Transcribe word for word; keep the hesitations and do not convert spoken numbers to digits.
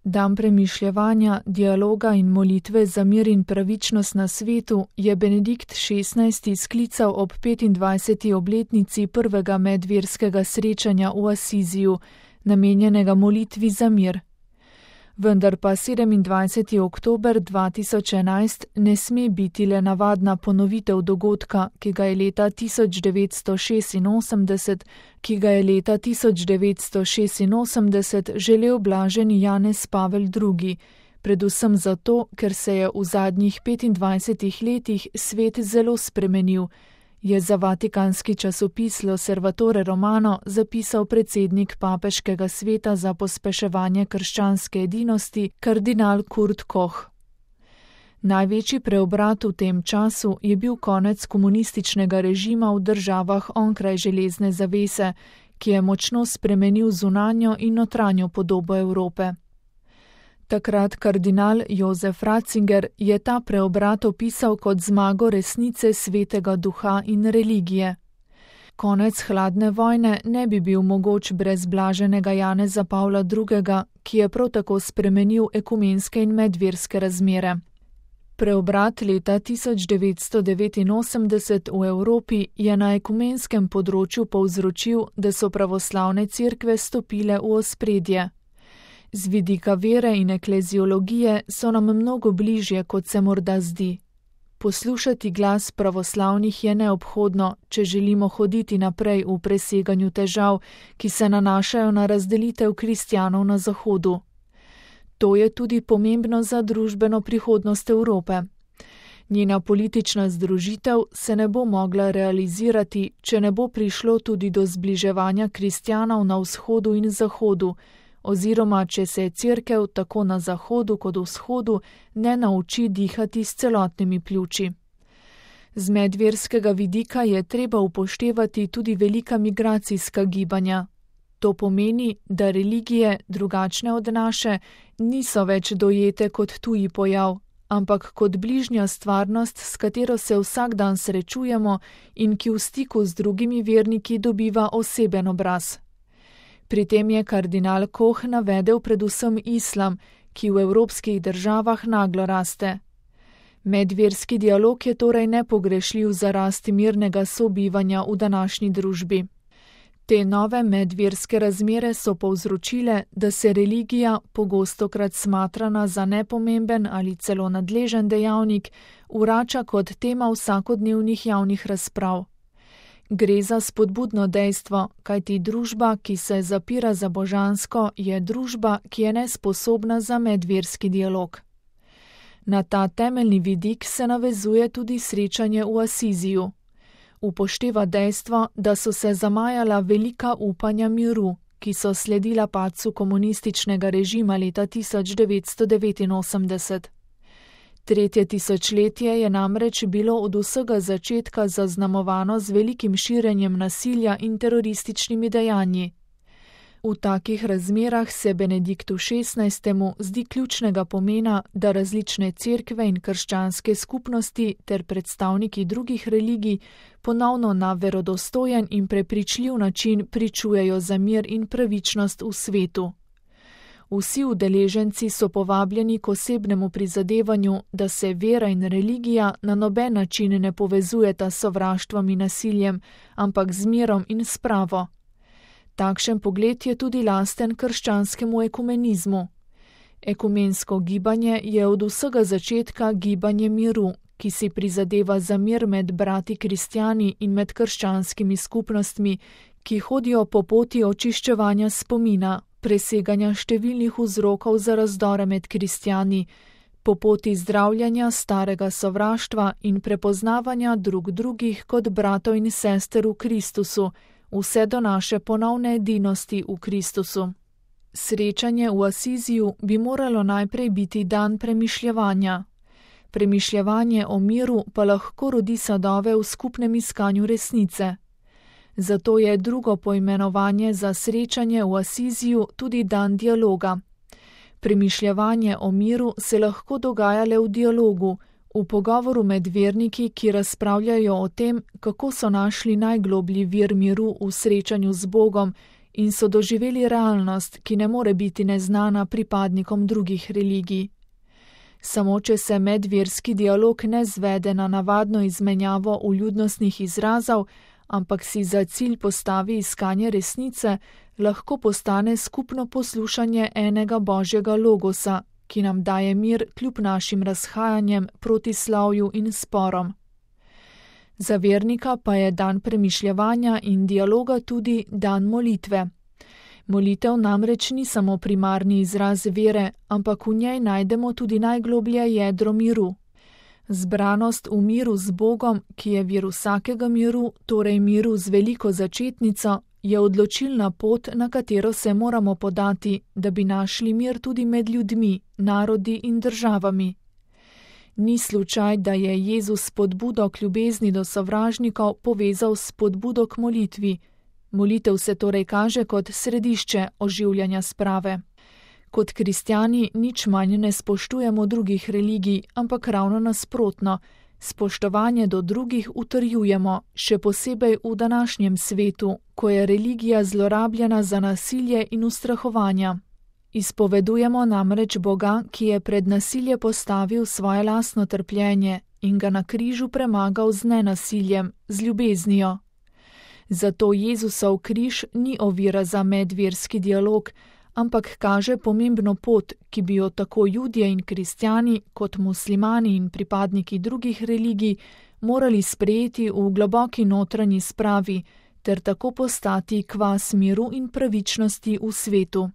Dan premišljevanja, dialoga in molitve za mir in pravičnost na svetu je Benedikt šestnajsti sklical ob petindvajseti obletnici prvega medverskega srečanja v Asiziju, namenjenega molitvi za mir. Vendar pa sedemindvajseti oktober dva tisoč enajst ne sme biti le navadna ponovitev dogodka, ki ga je leta tisoč devetsto šestinosemdeset, ki ga je leta tisoč devetsto šestinosemdeset želel blaženi Janez Pavel drugi, predvsem zato, ker se je v zadnjih petindvajsetih letih svet zelo spremenil, je za vatikanski časopis L'Osservatore Romano zapisal predsednik papeškega sveta za pospeševanje krščanske edinosti, kardinal Kurt Koch. Največji preobrat v tem času je bil konec komunističnega režima v državah onkraj železne zavese, ki je močno spremenil zunanjo in notranjo podobo Evrope. Takrat kardinal Jozef Ratzinger je ta preobrat opisal kot zmago resnice svetega duha in religije. Konec hladne vojne ne bi bil mogoč brez blaženega Janeza Pavla drugega, ki je prav tako spremenil ekumenske in medverske razmere. Preobrat leta tisoč devetsto devetinosemdeset v Evropi je na ekumenskem področju povzročil, da so pravoslavne cerkve stopile v ospredje. Z vidika vere in ekleziologije so nam mnogo bližje, kot se morda zdi. Poslušati glas pravoslavnih je neobhodno, če želimo hoditi naprej v preseganju težav, ki se nanašajo na razdelitev kristjanov na Zahodu. To je tudi pomembno za družbeno prihodnost Evrope. Njena politična združitev se ne bo mogla realizirati, če ne bo prišlo tudi do zbliževanja kristjanov na vzhodu in zahodu, oziroma če se cerkev tako na zahodu kot vzhodu ne nauči dihati s celotnimi pljuči. Z medverskega vidika je treba upoštevati tudi velika migracijska gibanja. To pomeni, da religije, drugačne od naše, niso več dojete kot tuji pojav, ampak kot bližnja stvarnost, s katero se vsak dan srečujemo in ki v stiku z drugimi verniki dobiva oseben obraz. Pri tem je kardinal Koch navedel predvsem islam, ki v evropskih državah naglo raste. Medverski dialog je torej nepogrešljiv za rast mirnega sobivanja v današnji družbi. Te nove medverske razmere so povzročile, da se religija, pogostokrat smatrana za nepomemben ali celo nadležen dejavnik, vrača kot tema vsakodnevnih javnih razprav. Gre za spodbudno dejstvo, kajti družba, ki se zapira za božansko, je družba, ki je nesposobna za medverski dialog. Na ta temeljni vidik se navezuje tudi srečanje v Asiziju. Upošteva dejstvo, da so se zamajala velika upanja miru, ki so sledila padcu komunističnega režima leta tisoč devetsto devetinosemdeset. Tretje tisočletje je namreč bilo od vsega začetka zaznamovano z velikim širenjem nasilja in terorističnimi dejanji. V takih razmerah se Benediktu šestnajstemu zdi ključnega pomena, da različne cerkve in krščanske skupnosti ter predstavniki drugih religij ponovno na verodostojen in prepričljiv način pričujejo za mir in pravičnost v svetu. Vsi udeleženci so povabljeni k osebnemu prizadevanju, da se vera in religija na noben način ne povezujeta s sovraštvom in nasiljem, ampak z mirom in spravo. Takšen pogled je tudi lasten krščanskemu ekumenizmu. Ekumensko gibanje je od vsega začetka gibanje miru, ki si prizadeva za mir med brati kristjani in med krščanskimi skupnostmi, ki hodijo po poti očiščevanja spomina, preseganja številnih vzrokov za razdore med kristjani, po poti zdravljanja starega sovraštva in prepoznavanja drug drugih kot bratov in sester v Kristusu, vse do naše ponovne edinosti v Kristusu. Srečanje v Asiziju bi moralo najprej biti dan premišljevanja. Premišljevanje o miru pa lahko rodi sadove v skupnem iskanju resnice. Zato je drugo poimenovanje za srečanje v Asiziju tudi dan dialoga. Premišljevanje o miru se lahko dogaja le v dialogu, v pogovoru med verniki, ki razpravljajo o tem, kako so našli najgloblji vir miru v srečanju z Bogom in so doživeli realnost, ki ne more biti neznana pripadnikom drugih religij. Samo če se medverski dialog ne zvede na navadno izmenjavo vljudnostnih izrazov, ampak si za cilj postavi iskanje resnice, lahko postane skupno poslušanje enega Božjega logosa, ki nam daje mir kljub našim razhajanjem, protislavju in sporom. Za vernika pa je dan premišljevanja in dialoga tudi dan molitve. Molitev namreč ni samo primarni izraz vere, ampak v njej najdemo tudi najgloblje jedro miru. Zbranost v miru z Bogom, ki je vir vsakega miru, torej miru z veliko začetnico, je odločilna pot, na katero se moramo podati, da bi našli mir tudi med ljudmi, narodi in državami. Ni slučaj, da je Jezus spodbudo k ljubezni do sovražnikov povezal s spodbudo k molitvi. Molitev se torej kaže kot središče oživljanja sprave. Kot kristjani nič manj ne spoštujemo drugih religij, ampak ravno nasprotno. Spoštovanje do drugih utrjujemo, še posebej v današnjem svetu, ko je religija zlorabljena za nasilje in ustrahovanja. Izpovedujemo namreč Boga, ki je pred nasilje postavil svoje lastno trpljenje in ga na križu premagal z nenasiljem, z ljubeznijo. Zato Jezusov križ ni ovira za medverski dialog, ampak kaže pomembno pot, ki bi jo tako Judje in kristjani kot muslimani in pripadniki drugih religij morali sprejeti v globoki notranji spravi ter tako postati kvas miru in pravičnosti v svetu.